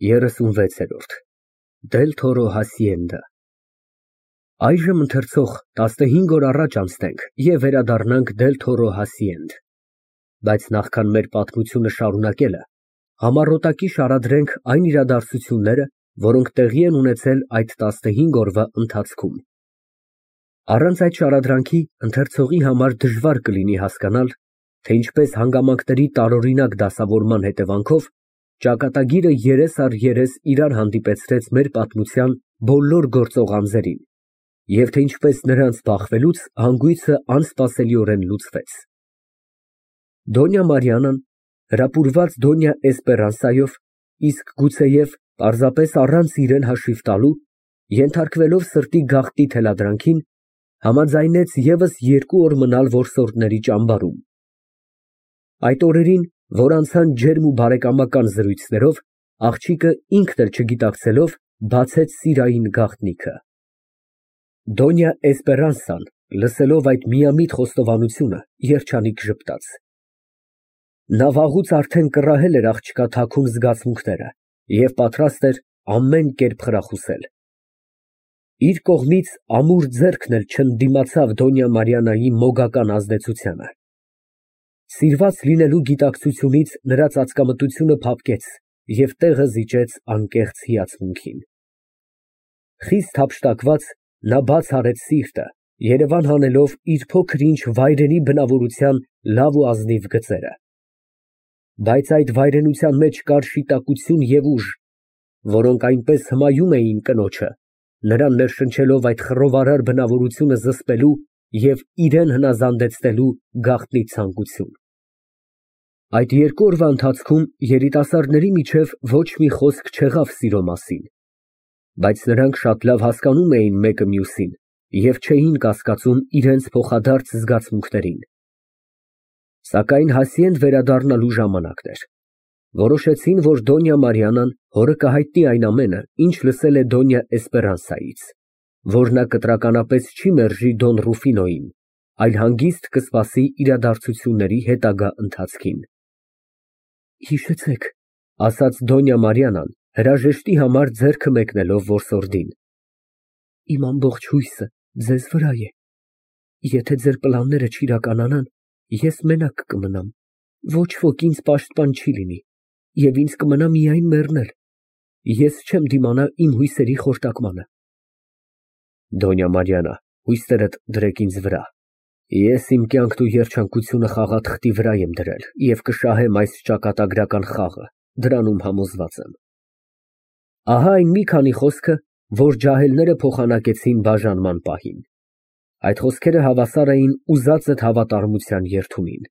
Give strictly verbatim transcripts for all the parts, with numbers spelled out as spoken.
երեսունվեցերորդ Դել Թորո Հասիենդա Այժմ ընթերցող տասնհինգ օր առաջ անցնենք և վերադառնանք Դել Թորո Հասիենդ, բայց նախքան մեր պատմությունը շարունակելը, համառոտակի շարադրենք այն իրադարձությունները, որոնք տեղի են ունեցել այդ տասնհինգ օրվա ընթացքում։ Առանց այդ շարադրանքի ընթերցողի համար դժվար կլինի հասկանալ, թե ինչպես հանգամանքների տարօրինակ դասավորման հետևանքով ճակատագիրը երես առ երես իրար հանդիպեցրեց մեր պատմության բոլոր գործող անձերին, և թե ինչպես նրանց բախվելուց հանգույցը անսպասելիորեն լուծվեց։ Դոնյա Մարիանան, հրապուրված Դոնյա Էսպերանսայով, իսկ գուցեև պարզապես առանց իրեն հաշիվ տալու, ենթարկվելով սրտի գաղտնի թելադրանքին, համաձայնեց ևս երկու օր մնալ որսորդների ճամբարում։ Այդ օրերին, որ անցան ջերմ ու բարեկամական զրույցներով, աղջիկը ինքն էլ չգիտակցելով բացեց սիրային գաղտնիքը։ Դոնյա Էսպերանսան, լսելով այդ միամիտ խոստովանությունը, երջանիկ ժպտաց։ Նա վաղուց արդեն կռահել էր աղջկա թաքուն զգացմունքները և պատրաստ էր ամեն կերպ խրախուսել։ Իր կողմից ամուր ձեռքն էլ չընդդիմացավ Դոնյա Մարիաննայի մոգական ազդեցությանը։ Սիրված լինելու գիտակցությունից նրա ծածկամտությունը փափկեց և տեղը զիջեց անկեղծ հիացմունքին։ Խիստ հափշտակված, նա բաց արեց սիրտը, երևան հանելով իր փոքր-ինչ վայրենի բնավորության լավ ու ազնիվ գծերը։ Բայց այդ վայրենության մեջ կար շիտակություն և ուժ, որոնք այնպես հմայում էին կնոջը, նրան ներշնչելով այդ խռովարար բնավորությունը զսպելու և իրան հնազանդեցնելու գաղտնի ցանկություն։ Այդ երկու օրվա ընթացքում երիտասարդների միջև ոչ մի խոսք չեղավ սիրո մասին, բայց նրանք շատ լավ հասկանում էին մեկը մյուսին և չէին կասկածում իրենց փոխադարձ զգացմունքներին։ Սակայն Հասիենդ վերադառնալու ժամանակն էր։ Որոշեցին, որ Դոնյա Մարիաննան հորը կհայտնի այն ամենը, ինչ լսել է Դոնյա Էսպերանսայից, որ նա կտրականապես չի մերժի Դոն Ռուֆինոյին, այլ հանգիստ կսպասի իրադարձությունների հետագա ընթացքին։ Հիշեցեք, ֊ ասաց Դոնյա Մարիաննան, հրաժեշտի համար ձեռքը մեկնելով որսորդին, իմ ամբողջ հույսը ձեզ վրա է։ Եթե ձեր պլանները չիրականանան, ես մենակ կմնամ, ոչ ոք ինձ պաշտպան չի լինի, և ինձ կմնա միայն մեռնել։ Ես չեմ դիմանա իմ հույսերի խորտակմանը։ Դոնյա Մարիաննա, հույսերդ դրեք ինձ վրա։ Ես իմ կյանքն ու երջանկությունը խաղաթղթի վրա եմ դրել և կշահեմ այս ճակատագրական խաղը, դրանում համոզված եմ։ Ահա այն մի քանի խոսքը, որ ջահելները փոխանակեցին բաժանման պահին։ Այդ խոսքերը հավասար էին ուզածդ հավատարմության երդումին։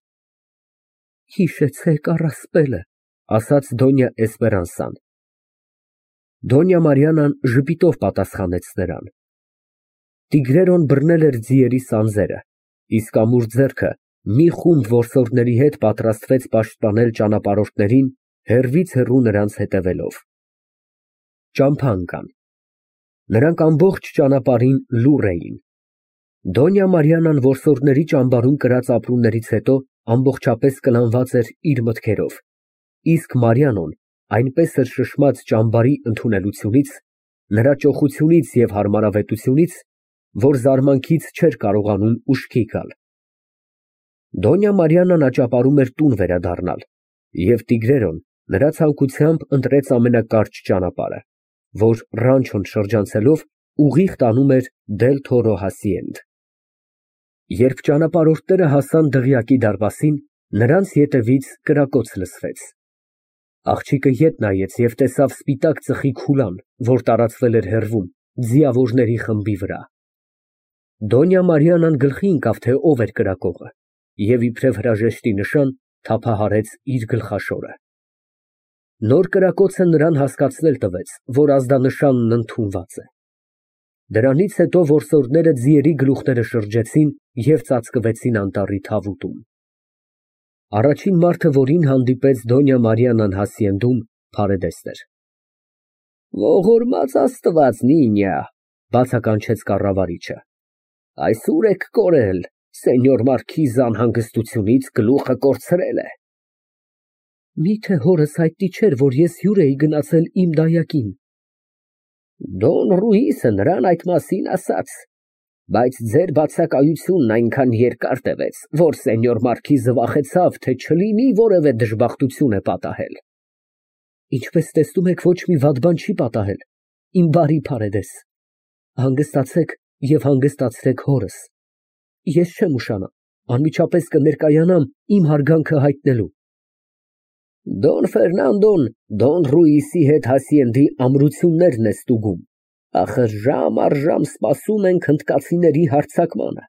Հիշեցեք առասպելը, ֊ ասաց Դոնյա Էսպերանսան։ Դոնյա Մարիաննան ժպիտով պատասխանեց նրան։ Տիգրերոն բռնել էր ձիերի սանձերը, իսկ ամուր ձեռքը մի խումբ որսորդների հետ պատրաստվեց պաշտպանել ճանապարհորդներին, հեռվից հեռու նրանց հետևելով։ Ճամփա ընկան։ Նրանք ամբողջ ճանապարհին լուռ էին։ Դոնյա Մարիաննան որսորդների ճամբարում կրած ապրումներից հետո ամբողջապես կլանված էր իր մտքերով, իսկ Մարիաննան այնպես էր շշմած ճամբարի ընդունելությունից, նրա ճոխությունից և հարմարավետությունից, որ զարմանքից չէր կարողանում ուշքի գալ։ Դոնյա Մարիաննան աճապարում էր տուն վերադառնալ, և Տիգրերոն նրա ցանկությամբ ընտրեց ամենակարճ ճանապարհը, որ Ռանչոն շրջանցելով ուղիղ տանում էր Դել Թորո Հասիենդ։ Երբ ճանապարհորդները հասան Դղյակի դարպասին, նրանց ետևից կրակոց լսվեց։ Աղջիկը ետ նայեց և տեսավ սպիտակ ծխի քուլան, որ տարածվել էր հեռվում, ձիավորների խմբի վրա։ Դոնյա Մարիաննան գլխի ընկավ, թե ով էր կրակողը, և իբրև հրաժեշտի նշան, թափահարեց իր գլխաշորը։ Նոր կրակոցը նրան հասկացնել տվեց, որ ազդանշանն ընդունված է։ Դրանից հետո որսորդները ձիերի գլուխները շրջեցին և ծածկվեցին անտառի թավուտում։ Առաջին մարդը, որին հանդիպեց Դոնյա Մարիաննան Հասիենդում, փարեդեսն էր։ Ողորմած Աստված, նինյա, ֊ բացականչեց կառավարիչը, այս ուր եք կորել, սենյոր մարքիզը անհանգստությունից գլուխը կորցրել է։ Միթե հորս հայտնի չէր, որ ես հյուր էի գնացել իմ դայակին։ Դոն Ռուիսը նրան այդ մասին ասաց, բայց ձեր բացակայությունն այնքան երկար տևեց, որ սենյոր մարքիզը վախեցավ, թե չլինի որևէ դժբախտություն է պատահել։ Ինչպես տեսնում եք, ոչ մի վատ բան չի պատահել, իմ բարի Փարեդես, հանգստացեք և հանգստացրեք հորս, ես չեմ ուշանա, անմիջապես կներկայանամ իմ հարգանքը հայտնելու։ Դոն Ֆերնանդոն Դոն Ռուիսի հետ հասիենդի ամրություններն է ստուգում, ախր ժամ առ ժամ սպասում ենք հնդկացիների հարձակմանը։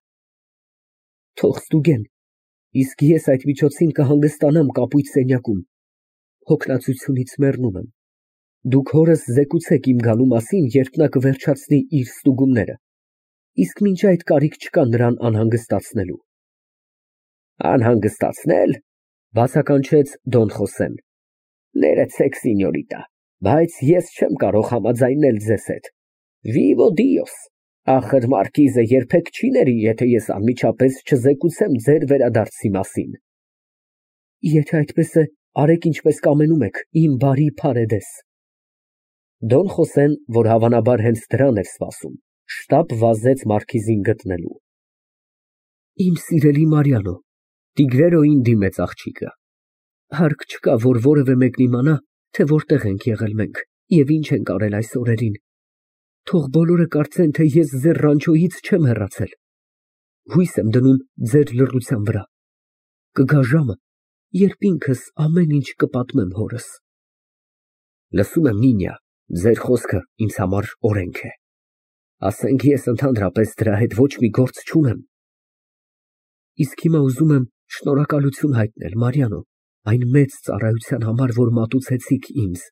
Թող ստուգեն, իսկ ես այդ միջոցին կհանգստանամ կապույտ սենյակում, հոգնածությունից մեռնում եմ, դուք հորս զեկուցեք իմ գալու մասին, երբ նա կվերջացնի իր ստուգումները, իսկ մինչ այդ կարիք չկա նրան անհանգստացնելու։ Անհանգստացնել, բացականչեց Դոն Խոսեն, ներեցեք, սինյորիտա, բայց ես չեմ կարող համաձայնել ձեզ հետ, վիվո դիոս, ախր մարքիզը երբեք չի ների, եթե ես անմիջապես չզեկուցեմ ձեր վերադարձի մասին։ Եթե այդպես է, արեք ինչպես կամենում եք, իմ բարի Փարեդես։ Դոն Խոսեն, որ հավանաբար հենց դրան էր սպասում, շտապ վազեց մարքիզին գտնելու։ Իմ սիրելի Մարիանո, Տիգրերոյին դիմեց աղջիկը, հարկ չկա, որ որևէ մեկն իմանա, թե որտեղ ենք եղել մենք և ինչ ենք արել այս օրերին, թող բոլորը կարծեն, թե ես ձեր ռանչոյից չեմ հեռացել, հույս եմ դնում ձեր լռության վրա, կգա ժամը, երբ ինքս ամեն ինչ կպատմեմ հորս։ Լսում եմ, Նինյա, ձեր խոսքը ինձ համար օրենք է, ասենք ես ընդհանրապես դրա հետ ոչ մի գործ չունեմ։ Իսկ հիմա ուզում եմ շնորհակալություն հայտնել, Մարիանո, այն մեծ ծառայության համար, որ մատուցեցիք ինձ։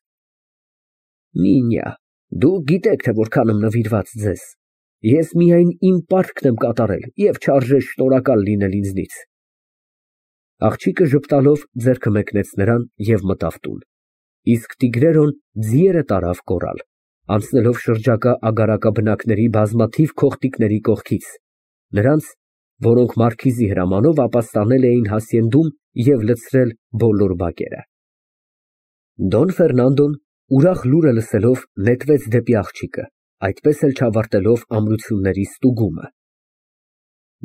Նինյա, դուք գիտեք, թե որքան եմ նվիրված ձեզ, ես միայն իմ պարտքն եմ կատարել և չարժե շնորհակալ լինել ինձնից։ Աղջիկը ժպտալով ձեռքը մեկնեց նրան և մտավ տուն, իսկ Տիգրերոն ձիերը տարավ կորալ, անցնելով շրջակա ագարակաբնակների բազմաթիվ քոխտիկների կողքից, նրանց, որոնք մարքիզի հրամանով ապաստանել էին հասիենդում և լցրել բոլոր բակերը։ Դոն Ֆերնանդոն, ուրախ լուրը լսելով, նետվեց դեպի աղջիկը, այդպես էլ չավարտելով ամրությունների ստուգումը։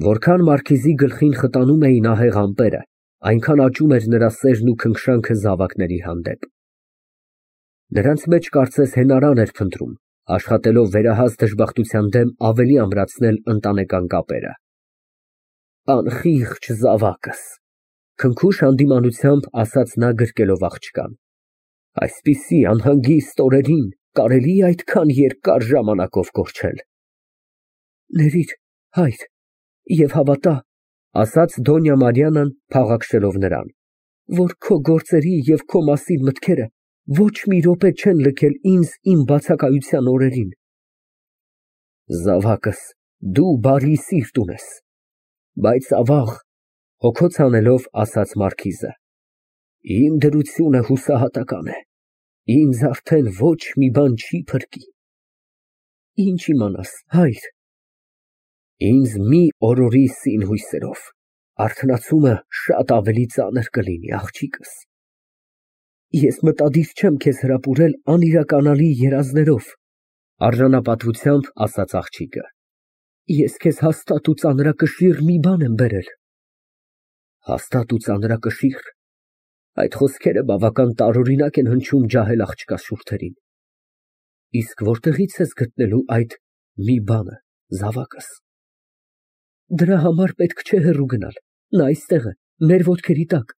Որքան մարքիզի գլխին խտանում էին ահեղ ամպերը, այնքան աճում էր նրա սերն ու քնքշանքը զավակների հանդեպ։ Նրանց մեջ կարծես հենարան էր փնտրում, աշխատելով վերահաս դժբախտության դեմ ավելի ամրացնել ընտանեկան կապերը։ Անխիղճ զավակս, քնքուշ հանդիմանությամբ ասաց նա գրկելով աղջկան, այսպիսի անհանգիստ օրերին կարելի է այդքան երկար ժամանակով կորչել։ Ներիր, հայր, և հավատա, ասաց Դոնյա Մարիանան փաղաքշելով նրան, որ քո գործերի և քո մասին մտքերը ոչ մի րոպե չեն լքել ինձ իմ բացակայության օրերին։ Զավակս, դու բարի սիրտ ունես, բայց ավաղ, հոգոց հանելով ասաց մարքիզը, իմ դրությունը հուսահատական է, ինձ արդեն ոչ մի բան չի փրկի։ Ինչ իմանաս, հայր։ Ինձ մի օրորի սին հույսերով, արթնացումը շատ ավելի ծանր կլինի, աղջիկս։ Ես մտադիր չեմ քեզ հրապուրել անիրականալի երազներով, արժանապատվությամբ ասաց աղջիկը։ Ես քեզ հաստատ ու ծանրակշիռ մի բան եմ բերել։ Հաստատ ու ծանրակշիռ, այդ խոսքերը բավական տարօրինակ են հնչում ջահել աղջկա շուրթերին։ Իսկ որտեղից ես գտնելու այդ մի բանը, զավակս։ Դրա համար պետք չէ հեռու գնալ, նա այստեղ է, մեր ոտքերի տակ,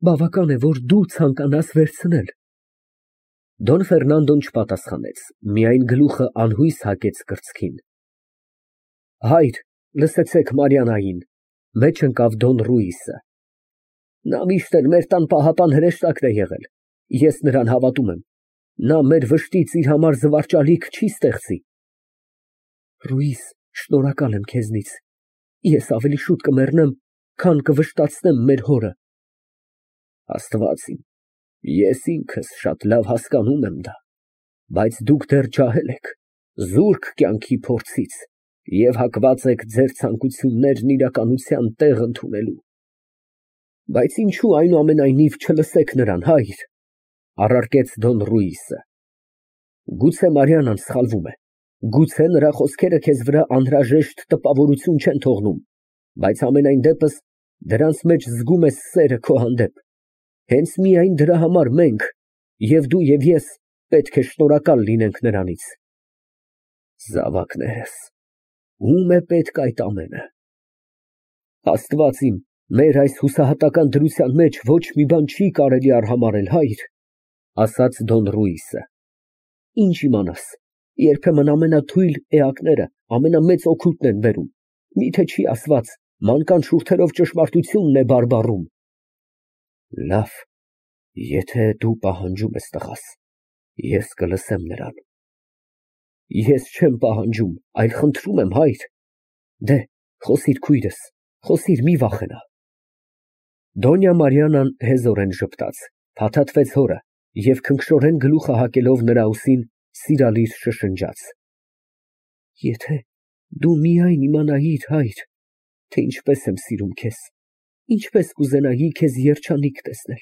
բավական է, որ դու ցանկանաս վերցնել։ Դոն Ֆերնանդոն չպատասխանեց, միայն գլուխը անհույս հակեց կրծքին։ Հայր, լսեցեք Մարիաննային, մեջ ընկավ Դոն Ռուիսը։ Նա միշտ էլ մեր տան պահապան հրեշտակն է եղել, ես նրան հավատում եմ, նա մեր վշտից իր համար զվարճալիք չի ստեղծի։ Ռուիս, շնորհակալ եմ քեզնից, ես ավելի շուտ կմեռնեմ, քան կվշտացնեմ մեր հորը։ Աստված իմ, ես ինքս շատ լավ հասկանում եմ դա, բայց դուք դեռ ջահել եք, զուրկ կյանքի փորձից և հակված եք ձեր ցանկություններն իրականության տեղ ընդունելու։ Բայց ինչու այնուամենայնիվ չլսեք նրան, հայր, առարկեց Դոն Ռուիսը։ Գուցե Մարիանան սխալվում է, գուցե նրա խոսքերը քեզ վրա անհրաժեշտ տպավորություն չեն թողնում, բայց համենայն դեպս դրանց մեջ զգում ես սերը քո հանդեպ, հենց միայն դրա համար մենք, և դու և ես, պետք է շնորհակալ լինենք նրանից։ Զավակներս, ո՞ւմ է պետք այդ ամենը։ Աստված իմ, մեր այս հուսահատական դրության մեջ ոչ մի բան չի կարելի արհամարհել, հայր, ասաց Դոն Ռուիսը։ Ինչ իմանաս, երբեմն ամենաթույլ էակները ամենամեծ օգուտն են բերում, միթե չի ասված, մանկան շուրթերով ճշմարտությունն է բարբառում։ Լավ, եթե դու պահանջում ես տղաս, ես կլսեմ նրան։ Ես չեմ պահանջում, այլ խնդրում եմ, հայր։ Դե, խոսիր քույրս, խոսիր, մի վախենա։ Դոնյա Մարիանան հեզորեն ժպտաց, փաթաթվեց հորը և քնքշորեն գլուխը հակելով նրա ուսին սիրալիր շշնջաց. Եթե դու միայն իմանայիր, հայր, թե ինչպես եմ սիրում քեզ, ինչպես կուզենայի քեզ երջանիկ տեսնել։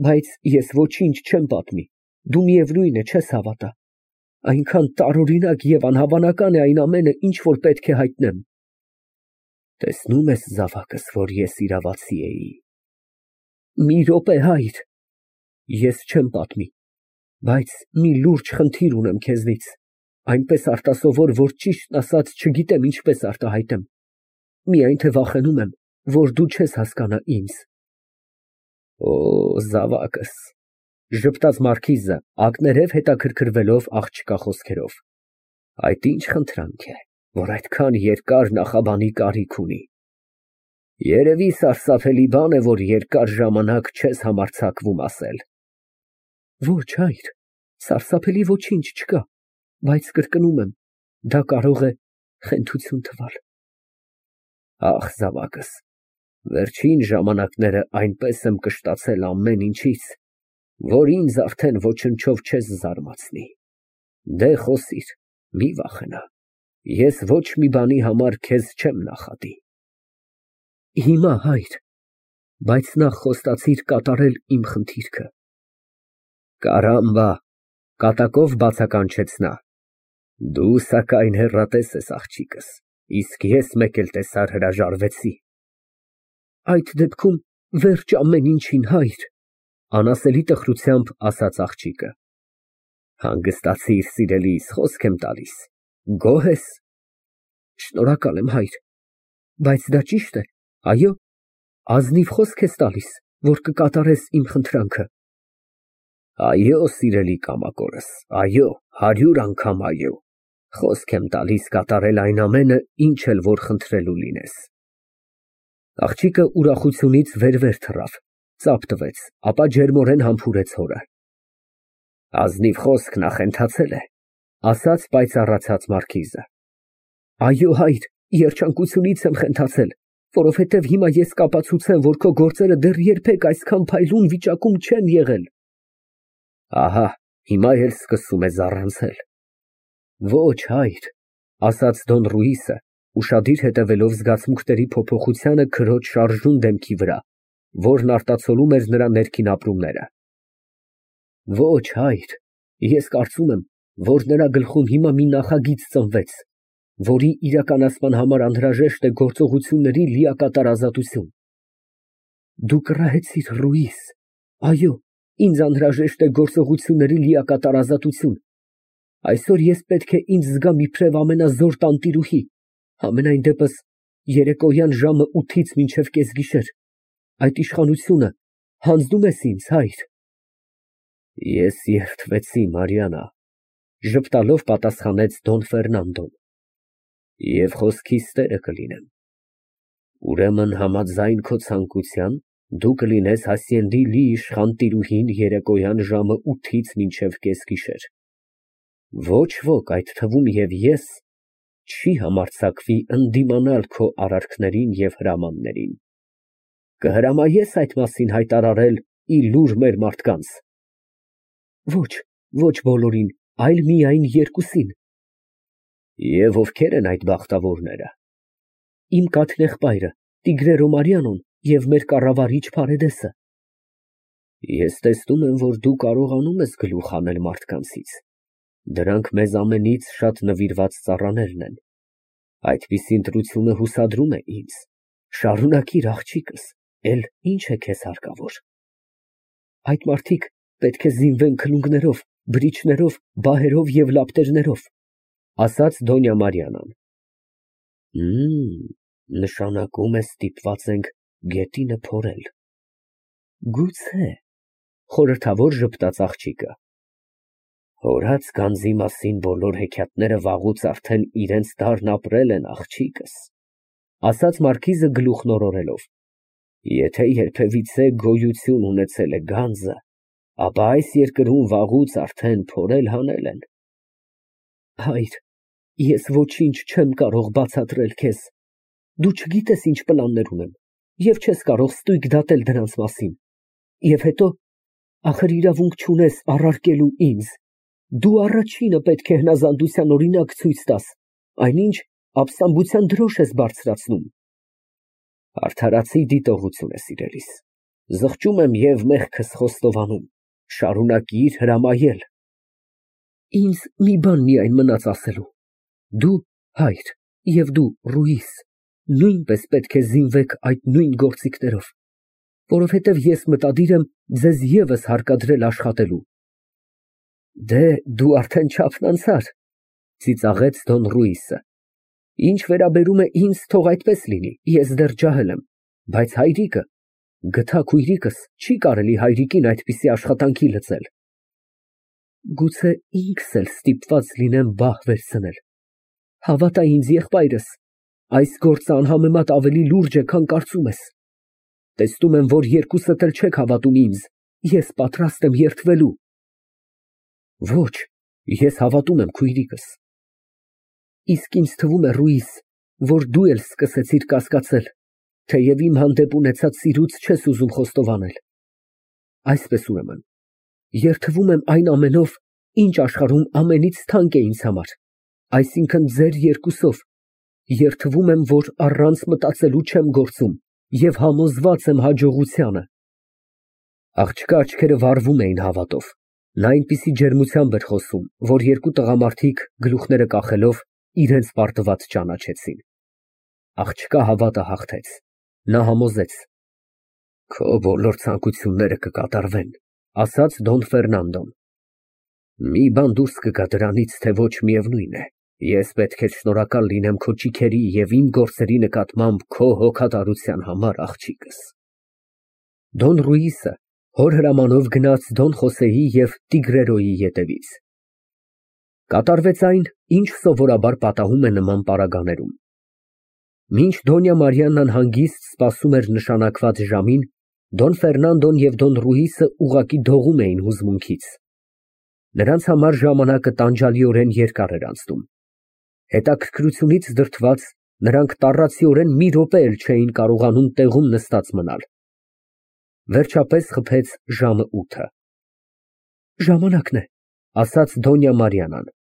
Բայց ես ոչինչ չեմ պատմի, դու միևնույն է չես հավատա, այնքան տարօրինակ և անհավանական է այն ամենը, ինչ որ պետք է հայտնեմ։ Տեսնում ես, զավակս, որ ես իրավացի էի։ Մի րոպե, հայր, ես չեմ պատմի, բայց մի լուրջ խնդիր ունեմ քեզնից, այնպես արտասովոր, որ ճիշտն ասած չգիտեմ ինչպես արտահայտեմ, միայն թե վախենում եմ, որ դու չես հասկանա ինձ։ Օ, զավակս, ժպտաց մարքիզը, ակներև հետաքրքրվելով աղջկա խոսքերով, այդ ինչ խնդրանք է, որ այդքան երկար նախաբանի կարիք ունի։ Երևի սարսափելի բան է, որ երկար ժամանակ չես համարձակվում ասել։ Ոչ, հայր, սարսափելի ոչինչ չկա, բայց կրկնում եմ, դա կարող է խենթություն թվալ։ Ախ, զավակս, վերջին ժամանակները այնպես եմ կշտացել ամեն ինչից, որ ինձ արդեն ոչնչով չես զարմացնի։ Դե խոսիր, մի վախենա, ես ոչ մի բանի համար քեզ չեմ նախատի։ Հիմա, հայր, բայց նախ խոստացիր կատարել իմ խնդիրքը։ Կարամբա, կատակով բացականչեց նա։ Դու սակայն հեռատես ես, աղջիկս, իսկ ես մեկ էլ տեսար հրաժարվեցի։ Այդ դեպքում վերջ ամեն ինչին, հայր, անասելի տխրությամբ ասաց աղջիկը։ Հանգստացիր, սիրելիս, խոսք եմ տալիս, գոհ ես։ Շնորհակալ եմ, հայր, բայց դա ճիշտ է, այո, ազնիվ խոսք ես տալիս, որ կկատարես իմ խնդրանքը։ Այո, սիրելի կամակորս, այո, հարյուր անգամ այո, խոսք եմ տալիս կատարել այն ամենը, ինչ էլ որ խնդրելու լինես։ Աղջիկը ուրախությունից վեր-վեր թռավ, ծափ տվեց, ապա ջերմորեն համբուրեց հորը։ Ազնիվ խոսք նախընթացել է, ասաց պայծառացած մարքիզը։ Այո, հայր, երջանկությունից եմ խենթացել, որովհետև հիմա ես կապացուցեմ, որ քո գործերը դեռ երբեք այսքան փայլուն վիճակում չեն եղել։ Ահա, հիմա էլ սկսում է զառանցել։ Ոչ, հայր, ասաց Դոն Ռուիսը, ուշադիր հետևելով զգացմունքների փոփոխությանը քրոջ շարժուն դեմքի վրա, որն արտացոլում էր նրա ներքին ապրումները։ Ոչ, հայր, ես կարծում եմ, որ նրա գլխում հիմա մի նախագիծ ծնվեց, որի իրականացման համար անհրաժեշտ է գործողությունների լիակատար ազատություն։ Դու կռահեցիր, Ռուիս, այո, ինձ անհրաժեշտ է գործողությունների լիակատար ազատություն։ Այսօր ես պետք է ինձ զգամ իբրև ամենազոր տանտիրուհի, համենայն դեպս երեկոյան ժամը ութից մինչև կեսգիշեր, այդ իշխանությունը հանձնում ես ինձ, հայր։ Ես երդվեցի, Մարիանա, ժպտալով պատասխանեց Դոն Ֆերնանդոն, և խոսքիս տերը կլինեմ։ Ուրեմն համաձայն քո ցանկության, դու կլինես Հասիենդի լի իշխան տիրուհին երեկոյան ժամը ութից մինչև կեսգիշեր։ Ոչ ոք, այդ թվում և ես, չի համարձակվի ընդդիմանալ քո արարքներին և հրամաններին։ Կհրամայես այդ մասին հայտարարել ի լուր մեր մարդկանց։ Ոչ, ոչ բոլորին, այլ միայն երկուսին։ Եվ ովքեր են այդ բախտավորները։ Իմ կաթնեղբայրը, Տիգրե Ռոմարյանոն և մեր կառավարիչ Փարեդեսը։ Ես տեսնում եմ, որ դու կարողանում ես գլուխ հանել մարդկանցից, դրանք մեզ ամենից շատ նվիրված ծառաներն են, այդպիսի ընտրությունը հուսադրում է ինձ, շարունակիր աղջիկս, էլ ինչ է քեզ հարկավոր։ Այդ մարդիկ պետք է զինվեն քլունգներով, բրիչներով, բահերով և լապտերներով, ասաց Դոնյա Մարիանան։ Նշանակում է ստիպված ենք գետինը փորել։ Գուցե, խորհրդավոր ժպտաց աղջիկը։ Հորած գանձի մասին բոլոր հեքիաթները վաղուց արդեն իրենց դարն ապրել են, աղջիկս, ասաց մարքիզը գլուխն օրորելով։ Եթե երբևիցե գոյություն ունեցել է գանձը, ապա այս երկրում վաղուց արդեն փորել հանել են։ Հայր, ես ոչինչ չեմ կարող բացատրել քեզ, դու չգիտես ինչ պլաններ ունեմ և չես կարող ստույգ դատել դրանց մասին, և հետո, ախր իրավունք չունես առարկելու ինձ, դու առաջինը պետք է հնազանդության օրինակ ցույց տաս, այնինչ ապստամբության դրոշ ես բարձրացնում։ Արդարացի դիտողություն է, սիրելիս, զղջում եմ և մեղքս խոստովանում, շարունակիր հրամայել։ Ինձ մի բան միայն մնաց ասելու, դու, հայր, և դու, Ռուիզ, նույնպես պետք է զինվեք այդ նույն գործիքներով, որովհետև ես մտադիր եմ ձեզ ևս հարկադրել աշխատելու։ Դե, դու արդեն չափն անցար, ծիծաղեց Դոն Ռուիսը։ Ինչ վերաբերում է ինձ, թող այդպես լինի, ես դեռ ջահել եմ, բայց հայրիկը, գթա քույրիկս, չի կարելի հայրիկին այդպիսի աշխատանքի լծել։ Գուցե ինքս էլ ստիպված լինեմ բահ վերցնել։ Հավատա ինձ, եղբայրս, այս գործը անհամեմատ ավելի լուրջ է, քան կարծում ես։ Տեսնում եմ, որ երկուսդ էլ չեք հավատում ինձ, ես պատրաստ եմ երդվելու։ Ոչ, ես հավատում եմ քույրիկս։ Իսկ ինձ թվում է, Ռուիզ, որ դու էլ սկսեցիր կասկածել, թեև իմ հանդեպ ունեցած սիրուց չես ուզում խոստովանել։ Այսպես ուրեմն, երդվում եմ այն ամենով, ինչ աշխարհում ամենից թանկ է ինձ համար, այսինքն ձեր երկուսով, երդվում եմ, որ առանց մտածելու չեմ գործում և համոզված եմ հաջողությանը։ Աղջկա աչքերը վառվում էին հավատով, նա այնպիսի ջերմությամբ էր խոսում, որ երկու տղամարդիկ, գլուխները կախելով, իրենց պարտված ճանաչեցին։ Աղջկա հավատը հաղթեց, նա համոզեց։ Քո բոլոր ցանկությունները կկատարվեն, ասաց Դոն Ֆերնանդոն։ Մի բան դուրս կգա դրանից, թե ոչ միևնույն է, ես պետք է շնորհակալ լինեմ քո ճիգերի և իմ գործերի նկատմամբ քո հոգատարության համար, աղջիկս։ Դոն Ռուիսը հոր հրամանով գնաց Դոն Խոսեի և Տիգրերոյի ետևից։ Կատարվեց այն, ինչ սովորաբար պատահում է նման պարագաներում։ Մինչ Դոնյա Մարիաննան հանգիստ սպասում էր նշանակված ժամին, Դոն Ֆերնանդոն և Դոն Ռուիսը ուղղակի դողում էին հուզմունքից։ Նրանց համար ժամանակը տանջալիորեն երկար էր անցնում։ Հետաքրքրությունից դրդված, նրանք տառացիորեն մի րոպե էլ չէին կարողանում տեղում նստած մնալ։ Վերջապես խփեց ժամը ութը։ Ժամանակն է, ասաց Դոնյա Մարիանան։